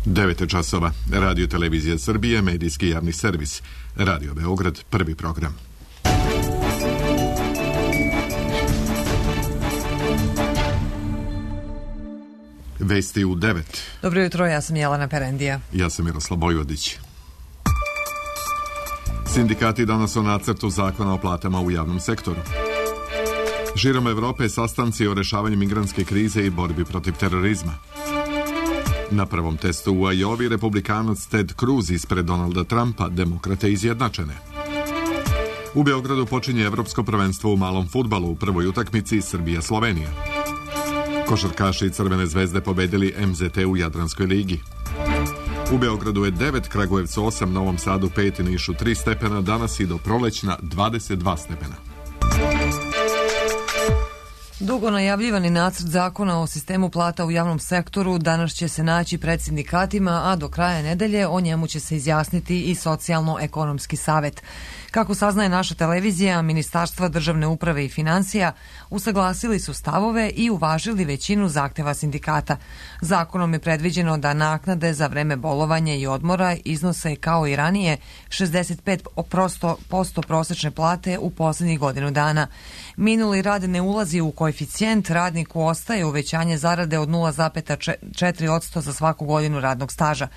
9 časova. Radio Televizija Srbije, medijski javni servis. Radio Beograd, prvi program. Vesti u 9. Dobro jutro, ja sam Jelena Perendija. Ja sam Miroslav Bojvodić. Sindikati danas o nacrtu zakona o platama u javnom sektoru. Širom Evrope sastanci o rešavanju migrantske krize i borbi protiv terorizma. Na prvom testu u Ajovi republikanac Ted Cruz ispred Donalda Trumpa, demokrate izjednačene. U Beogradu počinje evropsko prvenstvo u malom fudbalu u prvoj utakmici Srbija-Slovenija. Košarkaši Crvene zvezde pobedili MZT u Jadranskoj ligi. U Beogradu je 9, Kragujevcu 8, Novom Sadu 5 i Nišu 3 stepena, danas i do prolećna 22 stepena. Dugo najavljivani nacrt zakona o sistemu plata u javnom sektoru danas će se naći pred sindikatima, a do kraja nedelje o njemu će se izjasniti i Socijalno-ekonomski savet. Kako saznaje naša televizija, Ministarstva državne uprave i financija usaglasili su stavove i uvažili većinu zahteva sindikata. Zakonom je predviđeno da naknade za vreme bolovanja i odmora iznose kao i ranije 65% prosečne plate u poslednjih godinu dana. Minuli rad ne ulazi u koeficijent, radniku ostaje uvećanje zarade od 0,4% za svaku godinu radnog staža.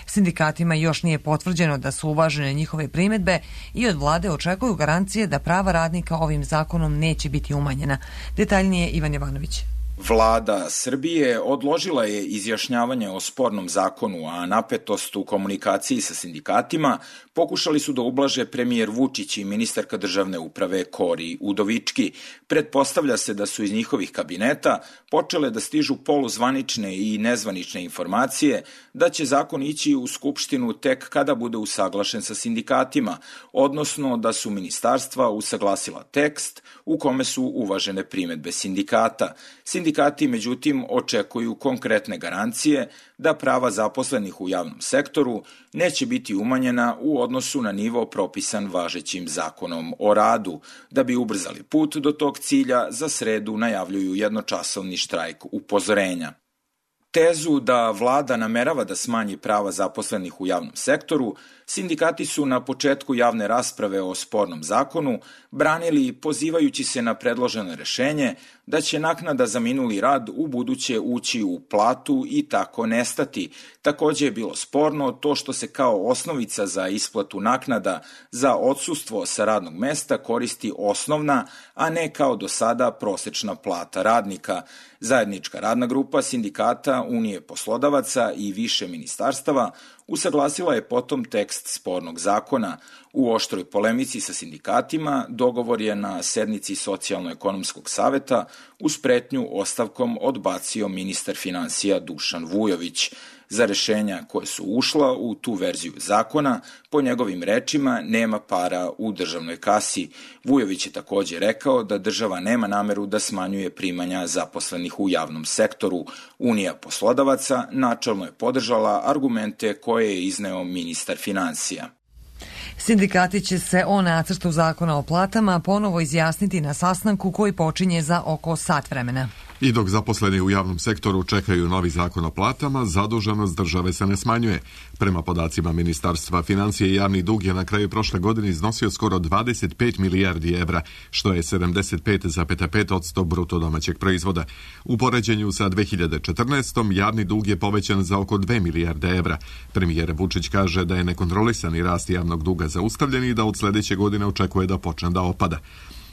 Sindikatima još nije potvrđeno da su uvažene njihove primedbe i od vlade očekuju garancije da prava radnika ovim zakonom neće biti umanjena. Detaljnije Ivan Jovanović. Vlada Srbije odložila je izjašnjavanje o spornom zakonu, a napetost u komunikaciji sa sindikatima pokušali su da ublaže premijer Vučić i ministarka državne uprave Kori Udovički. Pretpostavlja se da su iz njihovih kabineta počele da stižu poluzvanične i nezvanične informacije da će zakon ići u Skupštinu tek kada bude usaglašen sa sindikatima, odnosno da su ministarstva usaglasila tekst u kome su uvažene primedbe sindikata. Sindikati, međutim, očekuju konkretne garancije da prava zaposlenih u javnom sektoru neće biti umanjena u odnosu na nivo propisan važećim zakonom o radu. Da bi ubrzali put do tog cilja, za sredu najavljuju jednočasovni štrajk upozorenja. Tezu da vlada namerava da smanji prava zaposlenih u javnom sektoru, sindikati su na početku javne rasprave o spornom zakonu branili pozivajući se na predloženo rešenje da će naknada za minuli rad u buduće ući u platu i tako nestati. Takođe je bilo sporno to što se kao osnovica za isplatu naknada za odsustvo sa radnog mesta koristi osnovna, a ne kao do sada prosečna plata radnika. Zajednička radna grupa sindikata, Unije poslodavaca i više ministarstava usaglasila je potom tekst spornog zakona. U oštroj polemici sa sindikatima dogovor je na sednici Socijalno-ekonomskog saveta uz pretnju ostavkom odbacio ministar finansija Dušan Vujović. Za rešenja koje su ušla u tu verziju zakona, po njegovim rečima, nema para u državnoj kasi. Vujović je takođe rekao da država nema nameru da smanjuje primanja zaposlenih u javnom sektoru. Unija poslodavaca načelno je podržala argumente koje je izneo ministar finansija. Sindikati će se o nacrtu zakona o platama ponovo izjasniti na sastanku koji počinje za oko sat vremena. I dok zaposleni u javnom sektoru čekaju novi zakon o platama, zaduženost države se ne smanjuje. Prema podacima Ministarstva financije, javni dug je na kraju prošle godine iznosio skoro 25 milijardi evra, što je 75,5% bruto domaćeg proizvoda. U poređenju sa 2014. javni dug je povećan za oko 2 milijarde evra. Premijer Vučić kaže da je nekontrolisani rast javnog duga zaustavljen i da od sledeće godine očekuje da počne da opada.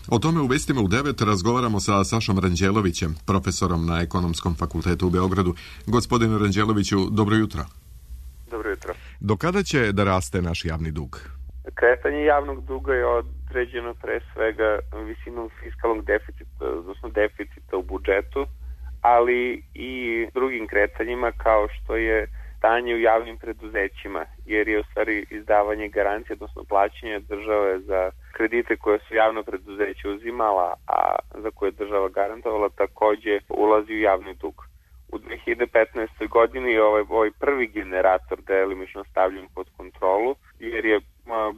O tome u vestima u 9 razgovaramo sa Sašom Ranđelovićem, profesorom na Ekonomskom fakultetu u Beogradu. Gospodine Ranđeloviću, dobro jutro. Dobro jutro. Do kada će da raste naš javni dug? Kretanje javnog duga je određeno pre svega visinom fiskalnog deficita, odnosno deficita u budžetu, ali i drugim kretanjima kao što je stanje u javnim preduzećima, jer je u stvari izdavanje garancije, odnosno plaćanje države za kredite koje su javno preduzeće uzimala, a za koje je država garantovala, takođe ulazi u javni dug. U 2015. godini ovaj prvi generator delimično stavljen pod kontrolu, jer je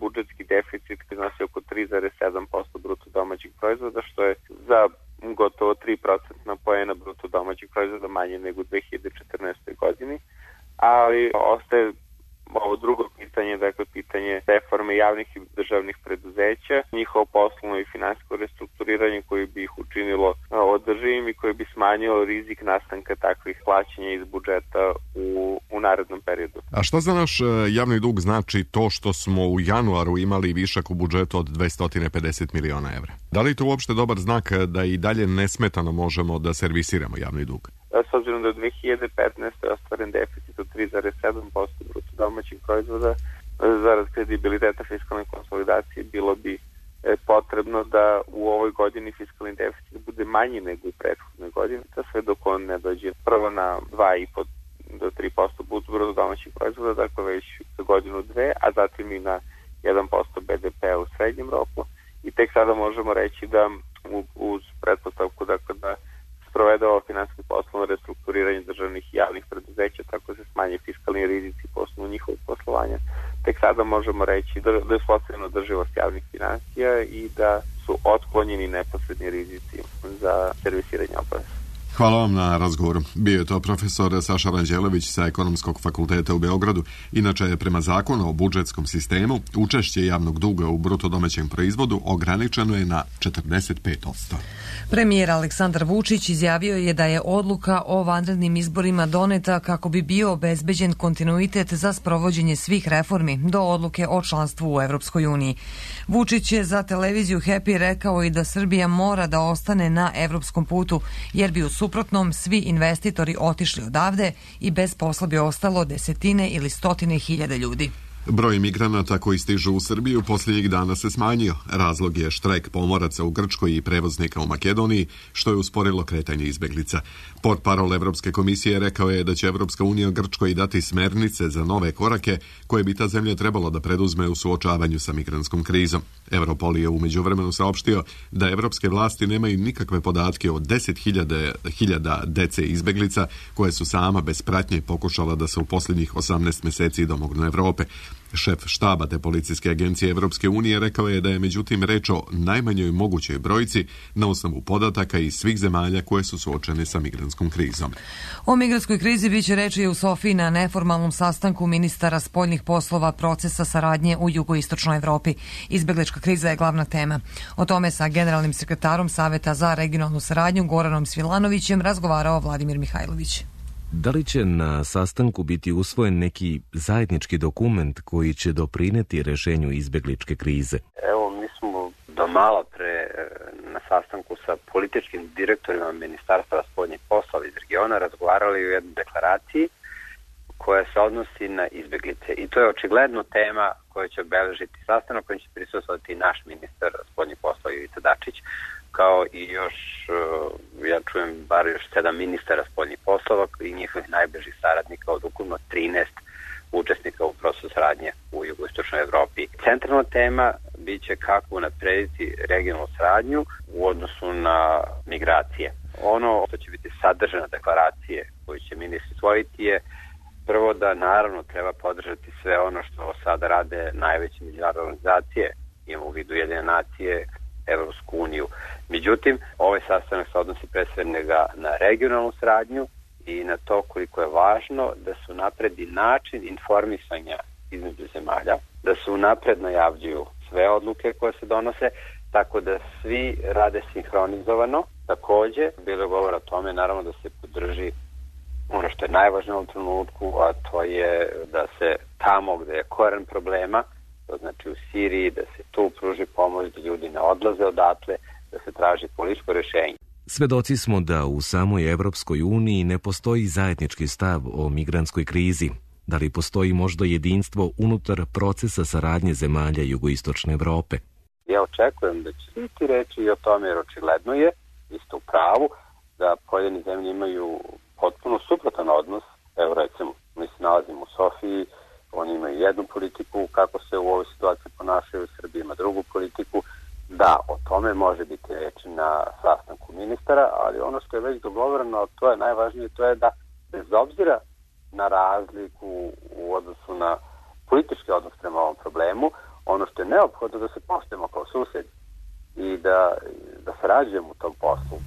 budžetski deficit iznosio oko 3,7% bruto domaćeg proizvoda, što je za gotovo 3% poena bruto domaćeg proizvoda manje nego u 2014. godini. ali ostaje ovo drugo pitanje, dakle pitanje reforme javnih i državnih preduzeća, njihovo poslovno i finansijsko restrukturiranje koje bi ih učinilo održivim i koje bi smanjilo rizik nastanka takvih plaćanja iz budžeta u narednom periodu. A šta za naš javni dug znači to što smo u januaru imali višak u budžetu od 250 miliona evra? Da li je to uopšte dobar znak da i dalje nesmetano možemo da servisiramo javni dug? S obzirom da u 2015. je ostvaren deficit od 3,7% bruto domaćeg proizvoda, zarad kredibiliteta fiskalne konsolidacije bilo bi potrebno da u ovoj godini fiskalni deficit bude manji nego u prethodnoj godini, sve dok on ne dođe prvo na 2,5 do 3% bruto domaćeg proizvoda, dakle već za godinu dve, a zatim i na 1% BDP-a u srednjem roku. I tek sada možemo reći da uz pretpostavku dakle, da sprovede ovo finansijsko poslovno restrukturiranje državnih i javnih preduzeća, tako se smanje fiskalni rizici po osnovu njihovog poslovanja. Tek sada možemo reći da je uspostavljena održivost javnih finansija i da su otklonjeni neposredni rizici za servisiranje obaveza. Hvala vam na razgovoru. Bio je to profesor Saša Ranđelović sa Ekonomskog fakulteta u Beogradu. Inače je prema zakonu o budžetskom sistemu učešće javnog duga u bruto domaćem proizvodu ograničeno je na 45%. Premijer Aleksandar Vučić izjavio je da je odluka o vanrednim izborima doneta kako bi bio obezbeđen kontinuitet za sprovođenje svih reformi do odluke o članstvu u Evropskoj uniji. Vučić je za televiziju Happy rekao i da Srbija mora da ostane na evropskom putu, jer bi u suprotnom svi investitori otišli odavde i bez posla bi ostalo desetine ili stotine hiljada ljudi. Broj migranata koji stižu u Srbiju posljednjih dana se smanjio. Razlog je štrajk pomoraca u Grčkoj i prevoznika u Makedoniji, što je usporilo kretanje izbeglica. Portparol Evropske komisije rekao je da će Evropska unija Grčkoj dati smernice za nove korake koje bi ta zemlja trebalo da preduzme u suočavanju sa migrantskom krizom. Europol je u međuvremenu saopštio da evropske vlasti nemaju nikakve podatke o 10.000 dece izbeglica koje su sama bez pratnje pokušala da se u posljednjih 18 meseci domognu Evrope. Šef štaba te policijske agencije Evropske unije rekao je da je međutim reč o najmanjoj mogućoj brojci na osnovu podataka iz svih zemalja koje su suočene sa migrantskom krizom. O migrantskoj krizi biće reči u Sofiji na neformalnom sastanku ministara spoljnih poslova procesa saradnje u jugoistočnoj Evropi. Izbeglička kriza je glavna tema. O tome sa generalnim sekretarom Saveta za regionalnu saradnju Goranom Svilanovićem razgovarao Vladimir Mihajlović. Da li će na sastanku biti usvojen neki zajednički dokument koji će doprineti rešenju izbegličke krize? Evo, mi smo do malo pre na sastanku sa političkim direktorima Ministarstva spoljnih poslova iz regiona razgovarali o jednoj deklaraciji koja se odnosi na izbeglice. I to je očigledno tema koja će obeležiti sastanak, kojim će prisustvovati naš ministar spoljnih poslova Ivica Dačić, kao i još, ja čujem, bar još 7 ministara spoljnih poslova i njihovih najbližih saradnika od ukupno 13 učesnika u procesu saradnje u jugoistočnoj Evropi. Centralna tema biće kako unaprediti regionalnu saradnju u odnosu na migracije. Ono što će biti sadržana deklaracije koju će ministri usvojiti je prvo da naravno treba podržati sve ono što sada rade najveće međunarodne organizacije, imamo u vidu Ujedinjene nacije, Evropsku uniju. Međutim, ovaj sastanak se odnosi pre svega na regionalnu saradnju i na to koliko je važno da se unapredi način informisanja između zemalja, da se unapred najavljuju sve odluke koje se donose, tako da svi rade sinhronizovano. Takođe, bilo je govora o tome, naravno da se podrži ono što je najvažnije u ovom trenutku, a to je da se tamo gde je koren problema, to znači u Siriji, da se tu pruži pomoć, da ljudi ne odlaze odatle, da se traži političko rešenje. Svedoci smo da u samoj Evropskoj uniji ne postoji zajednički stav o migrantskoj krizi. Da li postoji možda jedinstvo unutar procesa saradnje zemalja jugoistočne Evrope? Ja očekujem da će biti reći i o tome, jer očigledno je, vi ste u pravu, da pojedine zemlje imaju potpuno suprotan odnos. Evo recimo, mi se nalazimo u Sofiji, oni imaju jednu politiku, kako se u ovoj situaciji ponašaju, Srbija ima drugu politiku. Da, o tome može biti reći na sastanku ministara, ali ono što je već dogovoreno, to je najvažnije, to je da bez obzira na razliku u odnosu na politički odnos prema ovom problemu, ono što je neophodno da se poštujemo kao susedi i da sarađujemo u tom poslu.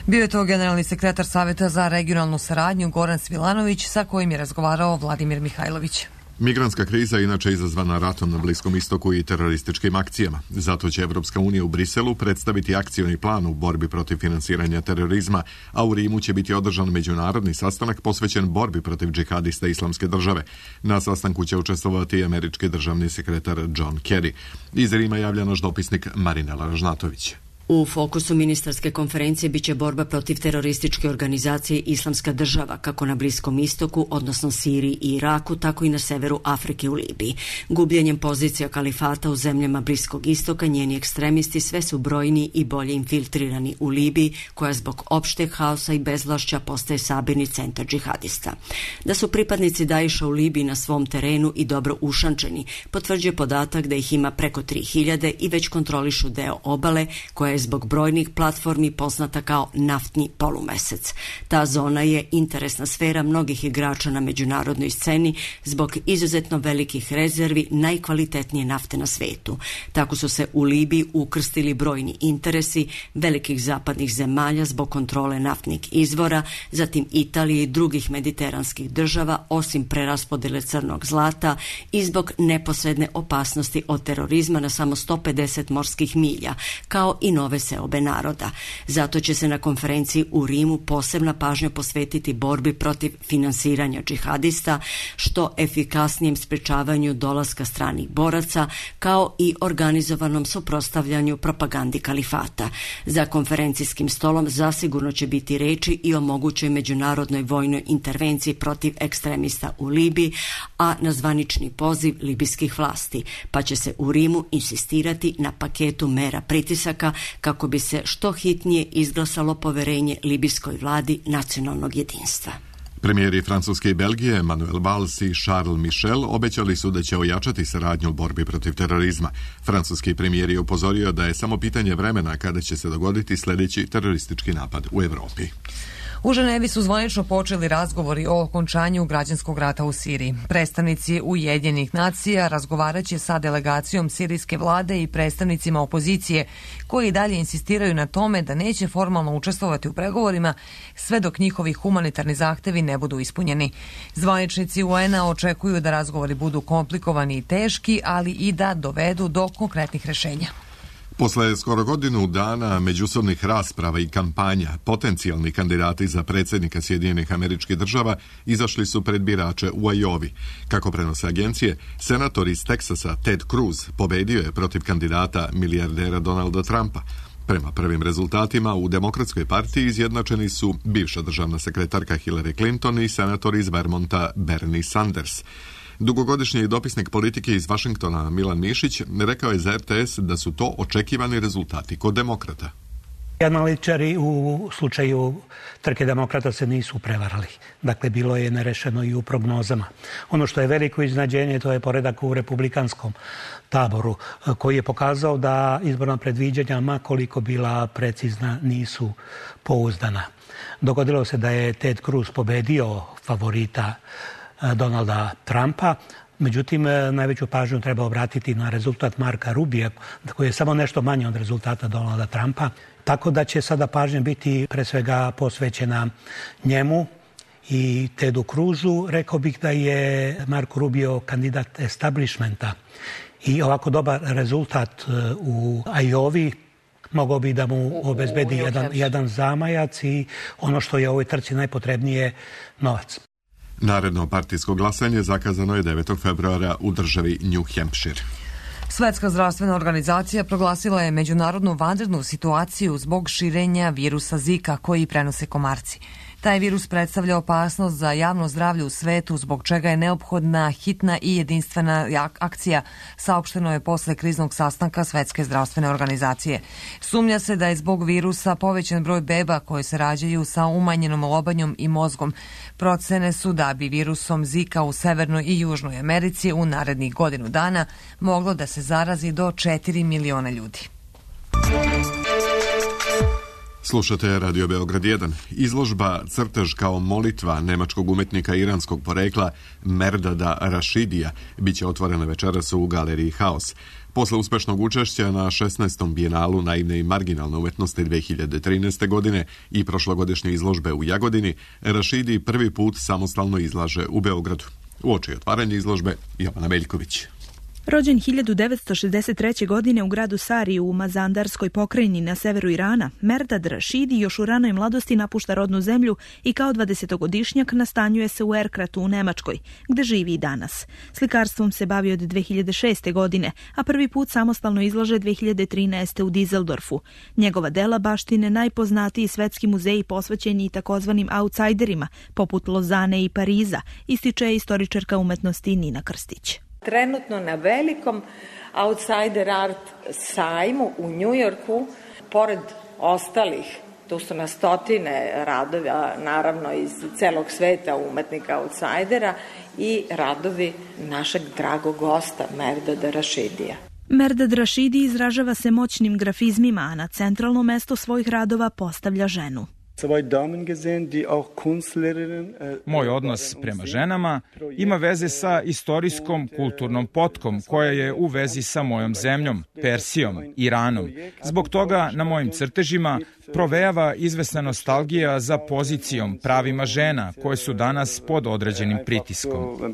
Bio je to generalni sekretar Saveta za regionalnu saradnju Goran Svilanović, sa kojim je razgovarao Vladimir Mihajlović. Migrantska kriza je inače izazvana ratom na Bliskom istoku i terorističkim akcijama. Zato će Evropska unija u Briselu predstaviti akcioni plan u borbi protiv finansiranja terorizma, a u Rimu će biti održan međunarodni sastanak posvećen borbi protiv džihadista Islamske države. Na sastanku će učestvovati američki državni sekretar John Kerry. Iz Rima javlja naš dopisnik Marinela Ražnatović. U fokusu ministarske konferencije biće borba protiv terorističke organizacije Islamska država, kako na Bliskom istoku, odnosno Siriji i Iraku, tako i na severu Afrike u Libiji. Gubljenjem pozicija kalifata u zemljama Bliskog istoka, njeni ekstremisti sve su brojni i bolje infiltrirani u Libiji, koja zbog opšteg haosa i bezvlašća postaje sabirni centar džihadista. Da su pripadnici Daesha u Libiji na svom terenu i dobro ušančeni, potvrđuje podatak da ih ima preko 3000 i već kontrolišu deo obale, koja je zbog brojnih platformi poznata kao naftni polumesec. Ta zona je interesna sfera mnogih igrača na međunarodnoj sceni zbog izuzetno velikih rezervi najkvalitetnije nafte na svetu. Tako su se u Libiji ukrstili brojni interesi velikih zapadnih zemalja zbog kontrole naftnih izvora, zatim Italije i drugih mediteranskih država, osim preraspodele crnog zlata i zbog neposredne opasnosti od terorizma na samo 150 morskih milja, kao i nove seobe naroda. Zato će se na konferenciji u Rimu posebna pažnja posvetiti borbi protiv finansiranja džihadista, što efikasnijem sprečavanju dolaska stranih boraca, kao i organizovanom suprotstavljanju propagandi kalifata. Za konferencijskim stolom zasigurno će biti reči i o mogućoj međunarodnoj vojnoj intervenciji protiv ekstremista u Libiji, a na zvanični poziv libijskih vlasti, pa će se u Rimu insistirati na paketu mera pritisaka kako bi se što hitnije izglasalo poverenje libijskoj vladi nacionalnog jedinstva. Premijeri Francuske i Belgije Manuel Valls i Charles Michel obećali su da će ojačati saradnju u borbi protiv terorizma. Francuski premijer je upozorio da je samo pitanje vremena kada će se dogoditi sljedeći teroristički napad u Evropi. U Ženevi su zvanično počeli razgovori o okončanju građanskog rata u Siriji. Predstavnici Ujedinjenih nacija razgovarat će sa delegacijom sirijske vlade i predstavnicima opozicije, koji i dalje insistiraju na tome da neće formalno učestvovati u pregovorima sve dok njihovi humanitarni zahtevi ne budu ispunjeni. Zvaničnici UN-a očekuju da razgovori budu komplikovani i teški, ali i da dovedu do konkretnih rešenja. Posle skoro godinu dana međusobnih rasprava i kampanja, potencijalni kandidati za predsjednika Sjedinjenih Američkih Država izašli su pred birače u Ajovi. Kako prenose agencije, senator iz Teksasa Ted Cruz pobedio je protiv kandidata milijardera Donalda Trumpa. Prema prvim rezultatima u Demokratskoj partiji izjednačeni su bivša državna sekretarka Hillary Clinton i senator iz Vermonta Bernie Sanders. Dugogodišnji dopisnik politike iz Vašingtona Milan Mišić rekao je za RTS da su to očekivani rezultati kod demokrata. Analitičari u slučaju trke demokrata se nisu prevarali. Dakle, bilo je nerešeno i u prognozama. Ono što je veliko iznenađenje, to je poredak u republikanskom taboru, koji je pokazao da izborna predviđanja, ma koliko bila precizna, nisu pouzdana. Dogodilo se da je Ted Cruz pobedio favorita Donalda Trumpa. Međutim, najveću pažnju treba obratiti na rezultat Marka Rubija, koji je samo nešto manje od rezultata Donalda Trumpa. Tako da će sada pažnja biti pre svega posvećena njemu i Tedu Cruzu. Rekao bih da je Marko Rubio kandidat establishmenta i ovako dobar rezultat u Ajovi mogao bi da mu obezbedi jedan zamajac i ono što je u ovoj trci najpotrebnije, novac. Naredno partijsko glasanje zakazano je 9. februara u državi New Hampshire. Svetska zdravstvena organizacija proglasila je međunarodnu vanrednu situaciju zbog širenja virusa Zika koji prenose komarci. Taj virus predstavlja opasnost za javno zdravlje u svetu, zbog čega je neophodna hitna i jedinstvena akcija, saopšteno je posle kriznog sastanka Svetske zdravstvene organizacije. Sumnja se da je zbog virusa povećan broj beba koje se rađaju sa umanjenom lobanjom i mozgom. Procene su da bi virusom Zika u Severnoj i Južnoj Americi u narednih godinu dana moglo da se zarazi do 4 miliona ljudi. Slušate Radio Beograd 1. Izložba Crtež kao molitva nemačkog umetnika iranskog porekla Merdada Rašidija biće otvorena večeras u galeriji Haos. Posle uspešnog učešća na 16. bijenalu naivne i marginalne umetnosti 2013. godine i prošlogodišnje izložbe u Jagodini, Rašidi prvi put samostalno izlaže u Beogradu. Uoči otvaranja izložbe Jovana Meljković. Rođen 1963. godine u gradu Sariju u Mazandarskoj pokrajini na severu Irana, Merdad Rašidi još u ranoj mladosti napušta rodnu zemlju i kao 20-godišnjak nastanjuje se u Erkratu u Nemačkoj, gde živi i danas. Slikarstvom se bavi od 2006. godine, a prvi put samostalno izlaže 2013. u Dizeldorfu. Njegova dela baštine najpoznatiji svetski muzeji posvećeni i takozvanim outsiderima, poput Lozane i Pariza, ističe istoričarka umetnosti Nina Krstić. Trenutno na velikom outsider art sajmu u Njujorku, pored ostalih, tu su na stotine radova, naravno iz celog sveta umetnika outsidera i radovi našeg dragog gosta Merdada Rašidija. Merdad Rašidi izražava se moćnim grafizmima, a na centralno mesto svojih radova postavlja ženu. Moj odnos prema ženama ima veze sa istorijskom kulturnom potkom koja je u vezi sa mojom zemljom, Persijom, Iranom. Zbog toga na mojim crtežima provejava izvesna nostalgija za pozicijom, pravima žena koje su danas pod određenim pritiskom.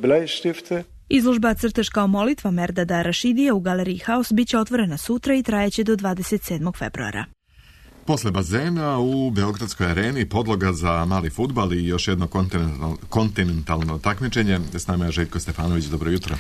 Izložba Crtež kao molitva Merdada Rašidija u galeriji Haos biće otvorena sutra i trajeće do 27. februara. Posle bazena u Beogradskoj areni podloga za mali fudbal i još jedno kontinentalno takmičenje. S nama je Željko Stefanović, dobro jutro.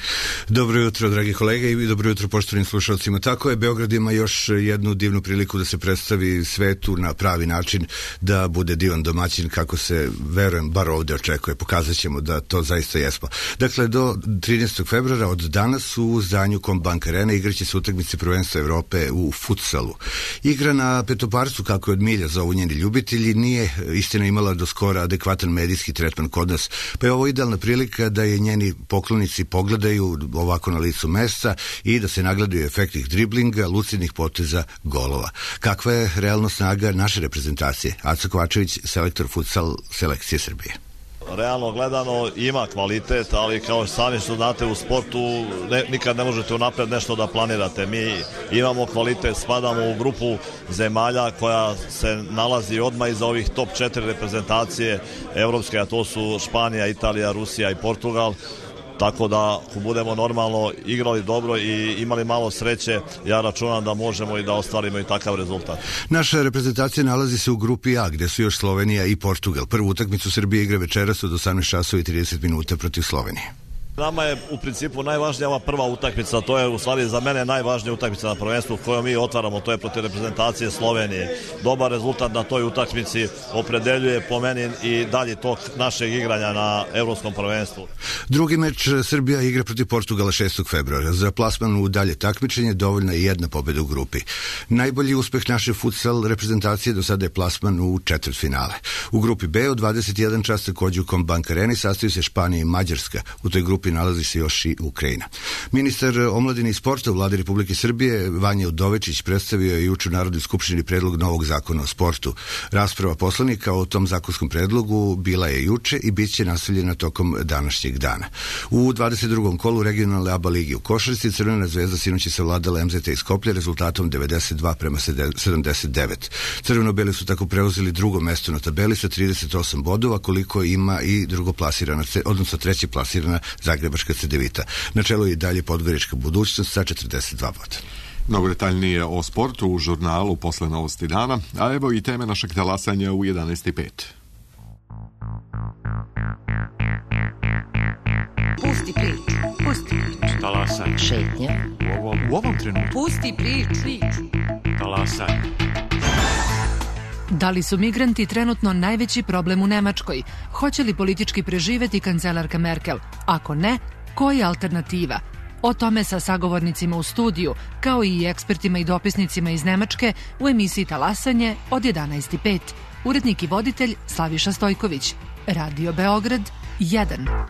Dobro jutro, dragi kolege, i dobro jutro poštovanim slušalcima. Tako je, Beograd ima još jednu divnu priliku da se predstavi svetu na pravi način, da bude divan domaćin kako se, verujem, bar ovde očekuje. Pokazat ćemo da to zaista jesmo. Dakle, do 13. februara od danas u zdanju Combank Arene igraće se utakmice prvenstva Evrope u futsalu. Igra na Petoparcu, kako je od milja zovu njeni ljubitelji, nije istina imala do skora adekvatan medijski tretman kod nas, pa je ovo idealna prilika da je njeni poklonici pogledaju ovako na licu mesta i da se nagledaju efektnih driblinga, lucidnih poteza, golova. Kakva je realno snaga naše reprezentacije? Aco Kovačević, selektor futsal selekcije Srbije. Realno gledano ima kvalitet, ali kao sami što znate u sportu nikad ne možete unapred nešto da planirate. Mi imamo kvalitet, spadamo u grupu zemalja koja se nalazi odmah iza ovih top 4 reprezentacije evropske, a to su Španija, Italija, Rusija i Portugal. Tako da, ako budemo normalno igrali dobro i imali malo sreće, ja računam da možemo i da ostvarimo i takav rezultat. Naša reprezentacija nalazi se u grupi A, gde su još Slovenija i Portugal. Prvu utakmicu Srbije igra večeras od 18:30 protiv Slovenije. Nama je u principu najvažnija ova prva utakmica, to je u stvari za mene najvažnija utakmica na prvenstvu koju mi otvaramo, to je protiv reprezentacije Slovenije. Dobar rezultat na toj utakmici opredeljuje po meni i dalje tok našeg igranja na evropskom prvenstvu. Drugi meč Srbija igra protiv Portugala 6. februara. Za plasman u dalje takmičenje dovoljna je jedna pobeda u grupi. Najbolji uspeh naše futsal reprezentacije do sada je plasman u četvrtfinale. U grupi B od 21 čas takođe u Combank Areni sastaju se Španija i Mađarska. U toj grupi nalazi se još i Ukrajina. Ministar omladine i sporta u Vladi Republike Srbije Vanja Udovičić predstavio je juče u Narodnoj skupštini predlog novog zakona o sportu. Rasprava poslanika o tom zakonskom predlogu bila je juče i bit će nastavljena tokom današnjeg dana. U 22. kolu regionalne ABA ligi u košarci Crvena zvezda sinoć je savladala MZT iz Skoplja rezultatom 92:79. Crveno-beli su tako preuzeli drugo mesto na tabeli sa 38 bodova, koliko ima i drugoplasirana, odnosno treće plasirana Zagrebačka Cedevita. Na čelu je i dalje Podgorička Budućnost sa 42 boda. Mnogo detaljnije o sportu u žurnalu posle novosti dana, a evo i teme našeg talasanja u 11:05. Pusti priču, pusti priču. Talasaj. Šetnja. U ovom trenutku. Pusti priču. Talasaj. Da li su migranti trenutno najveći problem u Nemačkoj? Hoće li politički preživeti kancelarka Merkel? Ako ne, koja je alternativa? O tome sa sagovornicima u studiju, kao i ekspertima i dopisnicima iz Nemačke u emisiji Talasanje od 11:05. Urednik i voditelj Slaviša Stojković. Radio Beograd 1.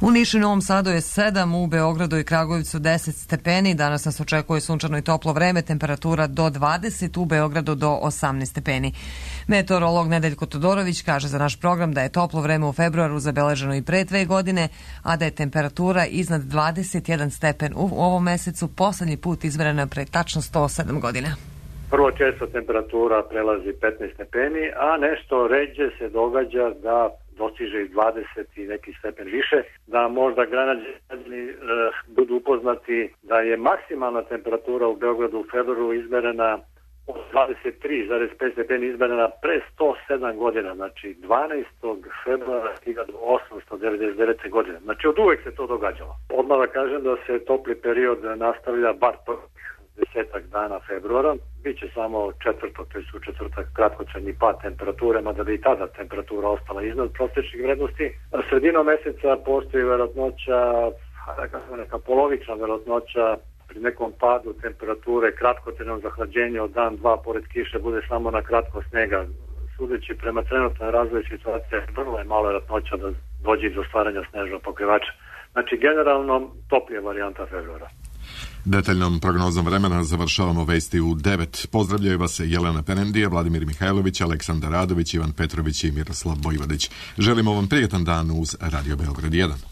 U Nišu i Novom Sadu je 7, u Beogradu i Kragujevcu 10 stepeni. Danas nas očekuje sunčano i toplo vreme, temperatura do 20, u Beogradu do 18 stepeni. Meteorolog Nedeljko Todorović kaže za naš program da je toplo vreme u februaru zabeleženo i pre 2 godine, a da je temperatura iznad 21 stepen u ovom mesecu poslednji put izmerena pre tačno 107 godina. Prvo često temperatura prelazi 15 stepeni, a nešto ređe se događa da dostiže i 20 i neki stepen više, da možda građani budu upoznati da je maksimalna temperatura u Beogradu u februaru izmerena od 23,5 stepeni izmerena pre 107 godina, znači 12. februara 1899. godine. Znači od uvek se to događalo. Odmah da kažem da se topli period nastavlja bar 10 dana februara, biće samo četvrtok, to je u četvrtak kratkotrajni pad temperature, mada bi i tada temperatura ostala iznad prosječnih vrednosti. Sredinom meseca postoji verovatnoća, neka polovična verovatnoća pri nekom padu temperature, kratkotrajnog zahlađenja od dan, dva, pored kiše, bude samo na kratko snega. Sudeći prema trenutnoj razvoju situacije, vrlo je malo verovatnoća da dođe do stvaranja snežnog pokrivača. Znači, generalno, toplija varijanta februara. Detaljnom prognozom vremena završavamo vesti u 9. Pozdravljaju vas Jelena Perendija, Vladimir Mihajlović, Aleksandar Radović, Ivan Petrović i Miroslav Bojvodić. Želimo vam prijetan dan uz Radio Beograd 1.